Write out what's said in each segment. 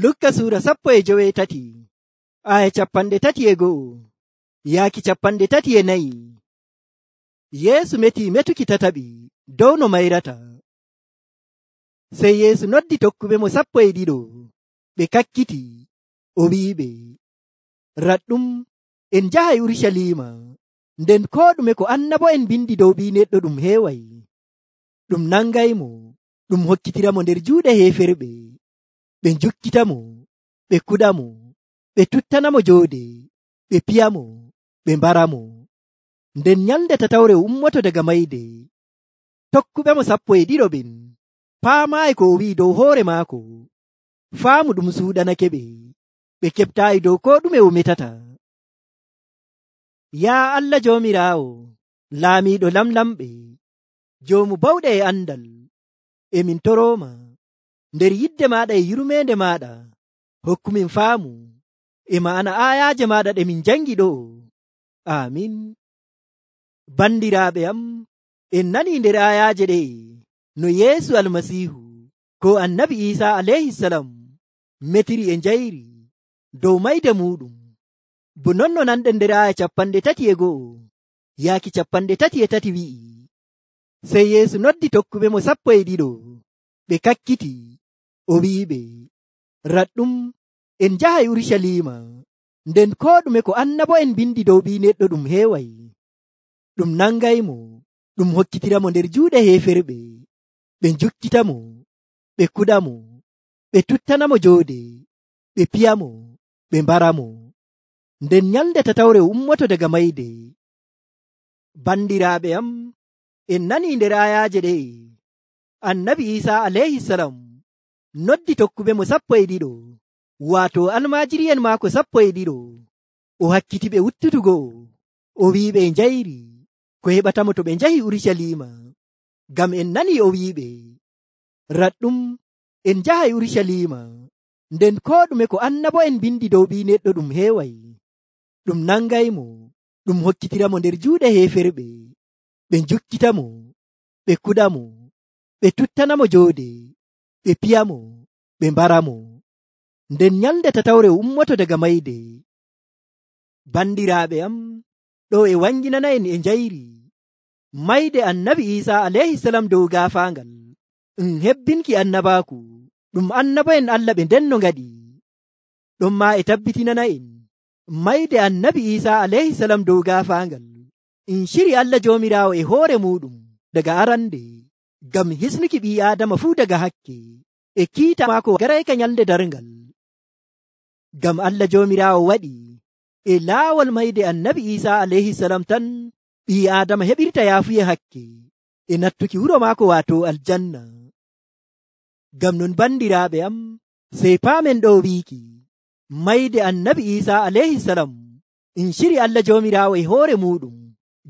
Lukka suura 17 aya 31 yaaki 34. Yeesu meti metuki tataɓi dow no mayrata. Sey Yeesu noddi tokkuɓe mo 12 ɓe kakkiti o wi'iɓe, raɗɗum en njahay Urucaliima, nden koo ɗume ko annabo'en mbindi dow Ɓii Neɗɗo ɗum heeway. Ɗum nangaymo, ɗum hokkitiramo nder juuɗe heeferɓe. Ɓe njukkitamo, ɓe kuɗamo, ɓe tuttanamo joode, ɓe piyamo, ɓe mbaramo. Nden nyalnde tatawre o ummoto daga mayde. Tokkuɓemo 12 ɓen paamaayi ko o wi'i dow hoore maako. Faamu ɗum suuɗanake ɓe, ɓe keɓtaayi dow koo ɗume o metata. Yaa Allah Joomiraawo, laamiiɗo lamlamɓe, joomu bawɗe e andal, emin torooma nder yidde maaɗa e yurmeende maaɗa, hokkumin faamu e ma'ana aayaaje maaɗa ɗe min jangi ɗo. Amin. Bandiraaɓe am, en nanii nder aayaaje ɗe no Yeesu Almasiihu ko Annabi Iisaa alayhisalam metiri e njayri dow mayde muɗum. Bo non no nanɗen nder aaya 31 yaaki 33 wi'i, sey Yeesu noddi tokkuɓe mo 12 ɓe kakkiti o wi'iɓe, raɗɗum en njahay Urucaliima, nden koo ɗume ko annabo'en mbindi dow Ɓii Neɗɗo ɗum heeway. Ɗum nangaymo, ɗum hokkitiramo nder juuɗe heeferɓe. Ɓe njukkitamo, ɓe kuɗamo, ɓe tuttanamo joode, ɓe piyamo, ɓe mbaramo. Nden nyalnde tatawre o ummoto daga mayde. Bandiraaɓe am, en nanii nder aayaaje ɗe Annabi Iisaa alayhisalam noddi tokkuɓe mo 12 waato almaajiri'en maako 12 o hakkiti ɓe wuttutugo o wi'iɓe njayri ko heɓatamo to ɓe njahi Urucaliima. Ngam en nanii o wi'iɓe, raɗɗum en njahay Urucaliima, nden koo ɗume ko annabo'en mbindi dow Ɓii Neɗɗo ɗum heeway. Ɗum nangaymo, ɗum hokkitiramo nder juuɗe heeferɓe. Ɓe njukkitamo, ɓe kuɗamo, ɓe tuttanamo joode, ɓe piyamo, ɓe mbaramo. Nden nyalnde tatawre o ummoto daga mayde. Bandiraaɓe am, ɗo e wanginana en e njayri mayde Annabi Iisaa alayhisalam dow gaafaangal hebbinki annabaaku ɗum annabo'en Allah ɓe ndenno ngaɗi. Ɗon maa e tabbitinana en mayde Annabi Iisaa alayhisalam dow gaafaangal shiri Allah Joomiraawo e hoore muɗum daga arande, ngam hisnuki ɓii Aadama fuu daga hakke e kiita maako garayka nyalnde darngal. Ngam Allah Joomiraawo waɗi e laawol mayde Annabi Iisaa alayhisalam tan ɓii Aadama heɓirta yaafuye hakke e nattuki wuro maako waato aljanna. Ngam non bandiraaɓe am, sey paamen ɗo wiiki mayde Annabi Iisaa alayhisalam shiri Allah Joomiraawo e hoore muɗum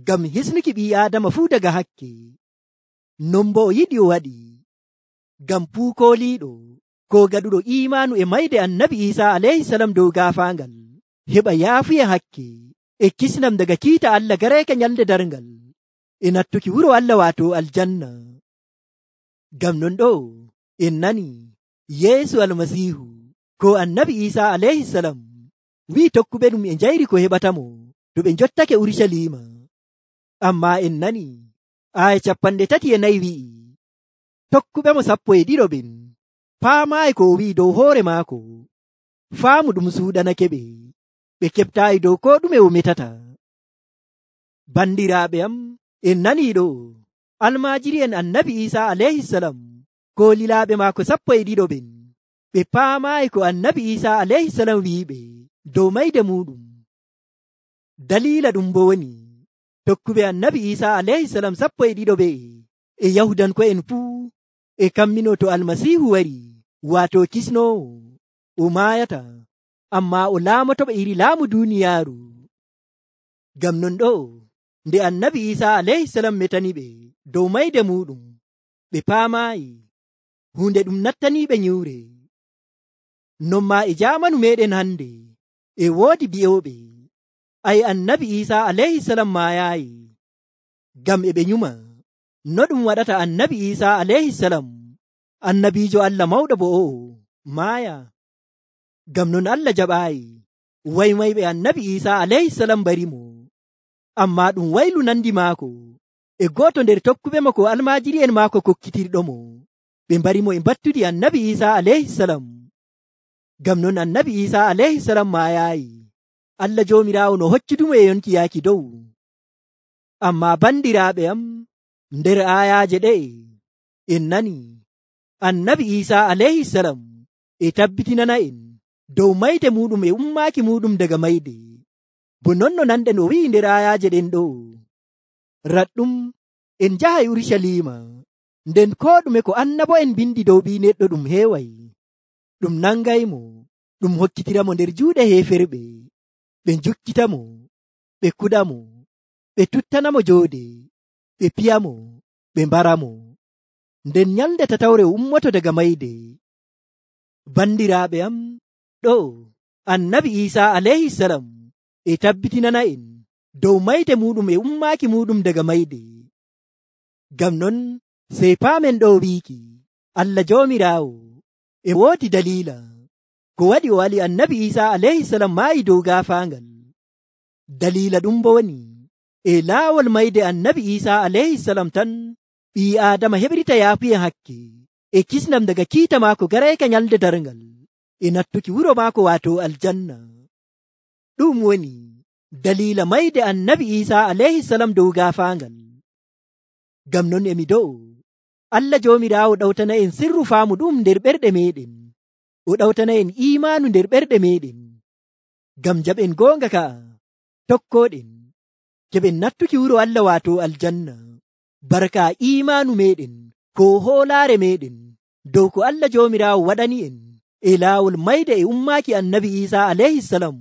ngam hisnuki ɓii Aadama fuu daga hakke. Non bo o yiɗi o waɗi ngam fuu kooliiɗo ko gaɗuɗo iimaanu e mayde Annabi Iisaa alayhisalam dow gaafaangal heɓa yaafuye hakke e kisnam daga kiita Allah garayka nyalnde darngal e nattuki wuro Allah waato aljanna. Ngam non ɗo en nani Yeesu Almasiihu ko Annabi Iisaa alayhisalam wi'i tokkuɓe ɗum e njayri ko heɓatamo to ɓe njottake Urucaliima. Amma en nani aya 34 wi'i, tokkuɓe mo 12 ɓen paamaayi ko o wi'i dow hoore maako. Faamu ɗum suuɗanake ɓe, ɓe keɓtaayi dow koo ɗume o metata. Bandiraaɓe am, en nanii ɗo almaajiri'en Annabi Iisaa alayhisalam ko lilaaɓe maako 12 ɓen ɓe paamaayi ko Annabi Iisaa alayhisalam wi'iɓe dow mayde muɗum. Daliila ɗum bo woni tokkuɓe Annabi Iisaa alayhisalam 12 ɓe e Yahudanko'en fuu e kammino to Almasiihu wari waato kisnoowo o maayata, amma o laamotoɓe iri laamu duuniyaaru. Ngam non ɗo nde Annabi Iisaa alayhisalam metaniɓe dow mayde muɗum, ɓe paamaayi hunde ɗum nattaniiɓe nyiwre. Non maa e jaamanu meɗen hande e woodi bi'ooɓe ay Annabi Iisaa alayhisalam maayaayi, ngam e ɓe nyuma no ɗum waɗata Annabi Iisaa alayhisalam annabiijo Allah mawɗo bo o'o maaya. Ngam non Allah jaɓaayi waymayɓe annabi Iisaa alayhisalam barimo, ammaa ɗum waylu nandi maako e gooto nder tokkuɓe mo ko almaajiri'en maako kokkitirɗomo, ɓe mbarimo e mbattudi annabi Iisaa alayhisalam. Ngam non annabi Iisaa alayhisalam maayaayi, Allah Joomiraawo no hoccudumo e yonki yaaki dow. Ammaa bandiraaɓe am, nder aayaaje ɗe'e en nani annabi Iisaa alayhisalam e tabbitinana'en dow mayde muɗum e ummaaki muɗum daga mayde, bo non no nanɗen o wi'i nder aayaaje ɗen ɗo, raɗɗum en njahay Urucaliima, nden koo ɗume ko annabo'en bindi dow ɓii neɗɗo ɗum heeway. Ɗum nangaymo, ɗum hokkitiramo nder juuɗe heeferɓe, ɓe njukkitamo, ɓe kuɗamo, ɓe tuttanamo joode, ɓe piyamo, ɓe mbaramo, nden nyalnde tatawre o ummoto daga mayde. Bandiraaɓe am, ɗo annabi Iisaa alayhisalam e tabbitinana'en dow mayde muɗum e ummaaki muɗum daga mayde. Ngam non sey paamen ɗo wiiki Allah Joomiraawo e woodi daliila ko waɗi o wali annabi Iisaa alayhisalam maayi dow gaafaangal. Daliila ɗum bo woni e laawol mayde annabi Iisaa alayhisalam tan ɓii Aadama heɓrita yaafuyen hakke e kisnam daga kiita maako garayka nyalde darngal e nattuki wuro maako waato aljanna. Ɗum woni daliila mayde annabi Iisaa alayhisalam dow gaafaangal. Ngam non emi do'o Allah Joomiraawo ɗawtana en sirru faamu ɗum nder ɓerɗe meɗen, o ɗawtana en iimaanu nder ɓerɗe meɗen, ngam jaɓen goonga ka'a tokkoɗen keɓen nattuki wuro Allah waato aljanna, barka iimaanu meɗen ko hoolaare meɗen dow ko Allah Joomiraawo waɗani en e laawol mayde e ummaaki annabi Iisaa alayhisalam.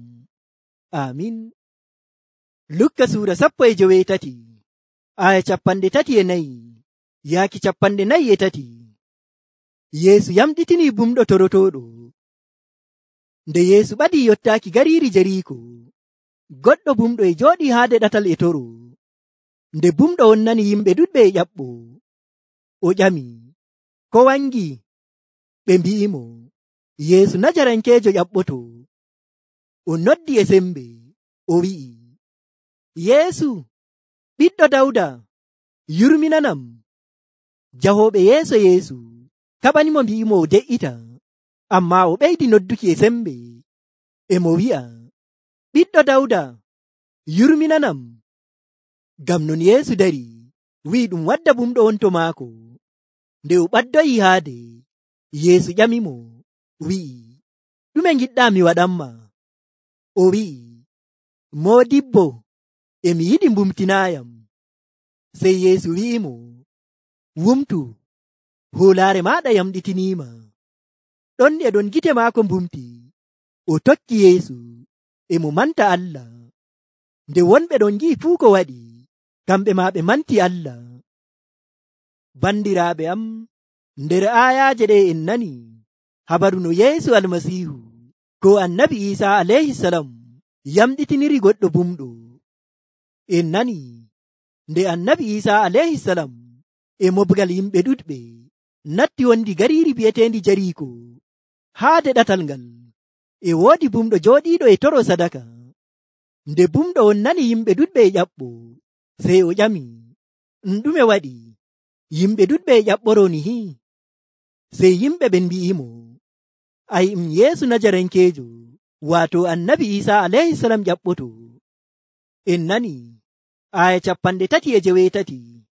Amin. Lukka suura 13 aya 34 yaaki 43. Yeesu yamɗitini bumɗo torotoɗo. Nde Yeesu ɓadii yottaaki gariiri Jeriiko, goɗɗo bumɗo e jooɗii haade ɗatal e toro. Nde bumɗo on nani yimɓe ɗuɗɓe e ƴaɓɓo, o ƴami, ko wangi? Ɓe mbi'imo, Yeesu Najarankeejo ƴaɓɓoto. O noddi e sembe, o wi'i, Yeesu, ɓiɗɗo Dawda, yurminanam. Jahooɓe yeeso Yeesu kaɓanimo mbi'imo o de'ita, ammaa o ɓeydi nodduki e sembe, e mo wi'a, ɓiɗɗo Dawda, yurminanam. Ngam non Yeesu dari, wi'i ɗum wadda bumɗo on to maako. Nde o ɓaddoyi haade, Yeesu ƴamimo, wi'i, ɗume ngiɗɗa mi waɗanma? O wi'i, Moodibbo, emi yiɗi mbumtinaayam. Sey Yeesu wi'imo, wumtu, hoolaare maaɗa yamɗitiniima. Ɗon e ɗon gite maako mbumti, o tokki Yeesu, e mo manta Allah. Nde wonɓe ɗon ngi'i fuu ko waɗi, kamɓe maa ɓe manti Allah. Bandiraaɓe am, nder aayaaje ɗe en nani habaru no Yeesu Almasiihu ko annabi Iisaa alayhisalam yamɗitiniri goɗɗo bumɗo. En nani nde annabi Iisaa alayhisalam e mobgal yimɓe ɗuɗɓe natti wondi gariiri bi'eteendi Jeriiko. Haade ɗatal ngal e woodi bumɗo jooɗiiɗo e toro sadaka. Nde bumɗo on nani yimɓe ɗuɗɓe e ƴaɓɓo, sey o ƴami, ɗume waɗi? Yimɓe ɗuɗɓe e ƴaɓɓoro nihi? Sey yimɓe ɓen mbi'imo, ay Yeesu Najarankeejo, waato annabi Iisaa alayhisalam ƴaɓɓoto. En nani aya 38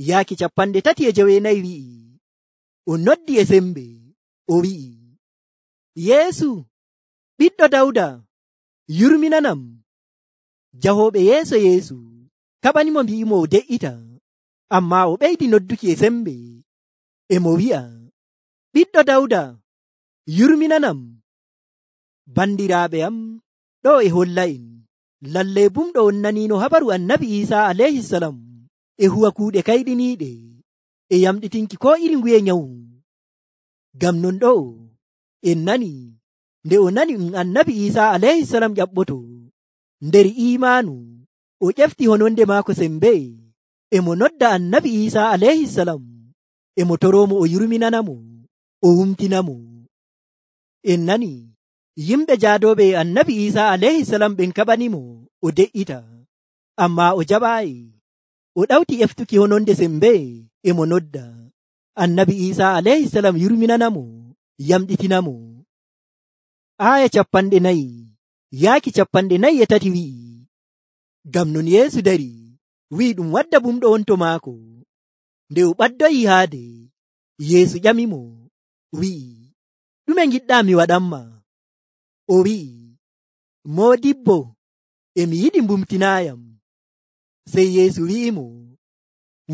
yaaki 39 wi'i, o noddi e sembe, o wi'i, Yeesu, ɓiɗɗo Dawda, yurminanam. Jahooɓe yeeso Yeesu kaɓanimo mbi'imo o de'ita, ammaa o ɓeydi nodduki e sembe, e mo wi'a, ɓiɗɗo Dawda, yurminanam. Bandiraaɓe am, ɗo e holla en lalle bumɗo on nanino habaru annabi Iisaa alayhisalam e huwa kuuɗe kayɗiniiɗe e yamɗitinki ko iri nguye nyawu. Ngam non ɗo en nani nde o nani annabi Iisaa alayhisalam ƴaɓɓoto, nder iimaanu o ƴefti hononde maako sembe, e mo nodda annabi Iisaa alayhisalam, e mo toromo o yurminanamo, o wumtinamo. En nani yimɓe jaadoɓe annabi Isa alayhi salam ɓen kaɓanimo o de'ita, amma o jaɓaayi. O ɗawti eftuki hononde sembe e mo nodda. Annabi Isa alayhi salam yurminanamo, yamɗitinamo. Aya 4 yaaki 43 wi'i, ngam non Yeesu dari wi'i ɗum wadda bumɗo on to maako. Nde o ɓaddoyi haade, Yeesu ƴamimo wi'i, ɗume ngiɗɗa mi waɗanma? O wi'i, Moodibbo, emi yiɗi mbumtinaayam. Sey Yeesu wi'imo,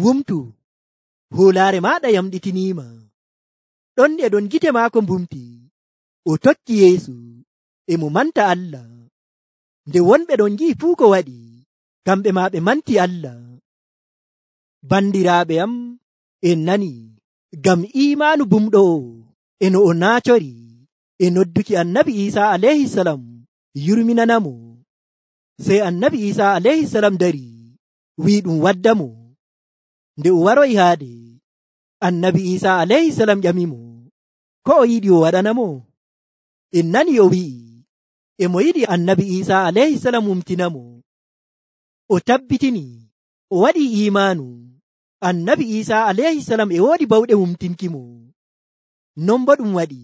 wumtu, hoolaare maaɗa yamɗitiniima. Ɗon e ɗon gite maako mbumti, o tokki Yeesu e mo manta Allah. Nde wonɓe ɗon ngi'i fuu ko waɗi, kamɓe maa ɓe manti Allah. Bandiraaɓe am, en nani, ngam iimaanu bumɗo o e no o naacori e nodduki annabi Isa alayhi salam yurminanamo. Sey annabi Isa alayhi salam dari wi'i ɗum waddamo. Nde o waroyi haade, annabi Isa alayhi salam ƴamimo ko o yiɗi o waɗanamo. En nani o wi'i e mo yiɗi annabi Isa alayhi salam wumtinamo. O tabbitini o waɗi iimaanu annabi Isa alayhi salam e woodi bawɗe wumtinkimo. Non bo ɗum waɗi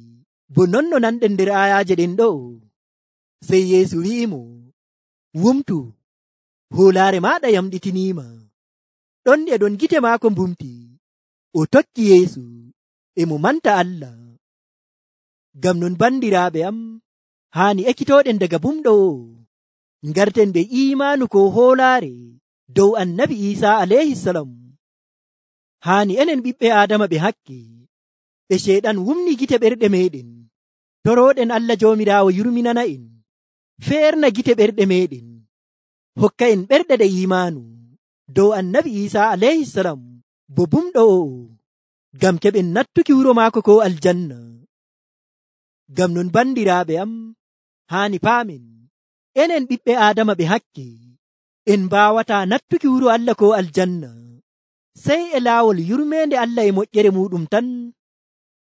bo non no nanɗen nder ayaje ɗen ɗo. Sey Yeesu wi'imo, wumtu, hoolaare maaɗa yamɗitiniima. Ɗon e ɗon gite maako mbumti, o tokki Yeesu e mo manta Allah. Ngam non bandiraaɓe am, haani ekkitooɗen daga bumɗo o, ngarten ɓe iimaanu ko hoolaare dow annabi Isa alayhi salam. Haani enen ɓiɓɓe Aadama ɓe hakke, ɓe Ceyɗan wumni gite ɓerɗe meɗen, torooɗen Allah Joomiraawo yurminana en, feerna gite ɓerɗe meɗen, hokka en ɓerɗe ɗe iimaanu dow annabi Isa alayhi salam bo bumɗo o, ngam keɓen nattuki wuro maako ko aljanna. Ngam non bandiraaɓe am, haani paamen, enen ɓiɓɓe Aadama ɓe hakke, en mbaawataa nattuki wuro Allah ko aljanna, sey e laawol yurmeende Allah e moƴƴere muɗum tan.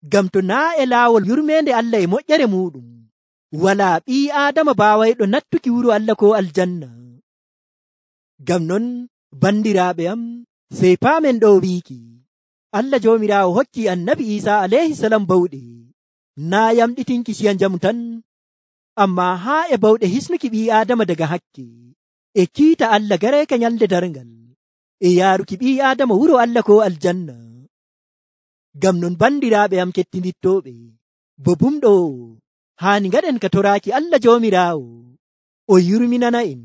Ngam to naa e laawol yurmeende Allah e moƴƴere muɗum, walaa ɓii Aadama baawayɗo nattuki wuro Allah ko aljanna. Ngam non bandiraaɓe am, sey paamen ɗo wiiki, Allah Joomiraawo hokki annabi Isa alayhi salam bawɗe, naa yamɗitinki ciya njamu tan, amma haa e bawɗe hisnuki ɓii Aadama daga hakke, e kiita Allah gareeka nyalde darngal, e yaaruki ɓii Aadama wuro Allah ko aljanna. Ngam non bandiraaɓe am kettinittooɓe, bo bumɗo o, haani ngaɗen ka toraaki Allah Joomiraawo, o yurminana en,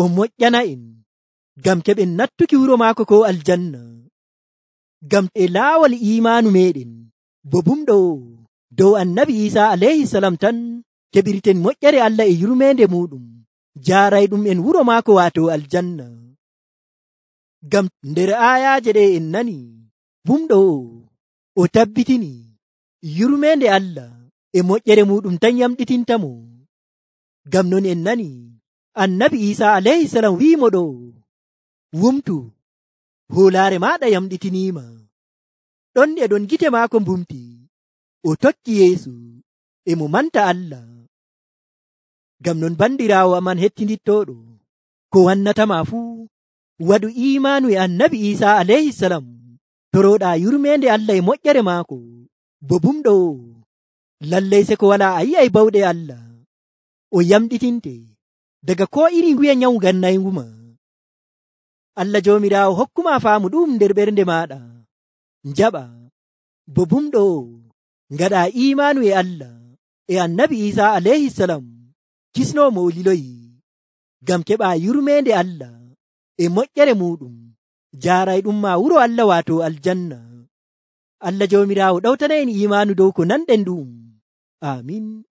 o moƴƴana en, ngam keɓen nattuki wuro maako ko aljanna. Ngam e laawol iimaanu meɗen bo bumɗo o dow annabi Isa alayhi salam tan keɓirten moƴƴere Allah e yurmeende muɗum, jaarayɗum en wuro maako waato aljanna. Ngam nder aayaaje ɗe en nani, bumɗo o tabbitini yurmeende Allah e moƴƴere muɗum tan yamɗitintamo. Ngam non en nani annabi Isa alayhi salam wi'imo ɗo, wumtu, hoolaare maaɗa yamɗitiniima. Ɗon e ɗon gite maako mbumti, o tokki Yeesu e mo manta Allah. Ngam non bandiraawo aman hettinittooɗo, ko wannatama fuu, waɗu iimaanu e annabi Isa alayhi salam, torooɗaa yurmeende Allah e moƴƴere maako, bo bumɗo o, lallay se ko walaa a yi'ay bawɗe Allah, o yamɗitinte daga ko iri nguye nyawu gannayngu ma. Allah Joomiraawo hokkuma faamu ɗum nder ɓernde maaɗa, njaɓa, bo bumɗo o, ngaɗa iimaanu e Allah e annabi Isa alayhi salam, kisnoo mo o liloyi, ngam keɓa yurmeende Allah e moƴƴere muɗum, jaarayɗum ma wuro Allah waato aljanna. Allah Joomiraawo ɗawtana en iimaanu dow ko nanɗen ɗum. Amin.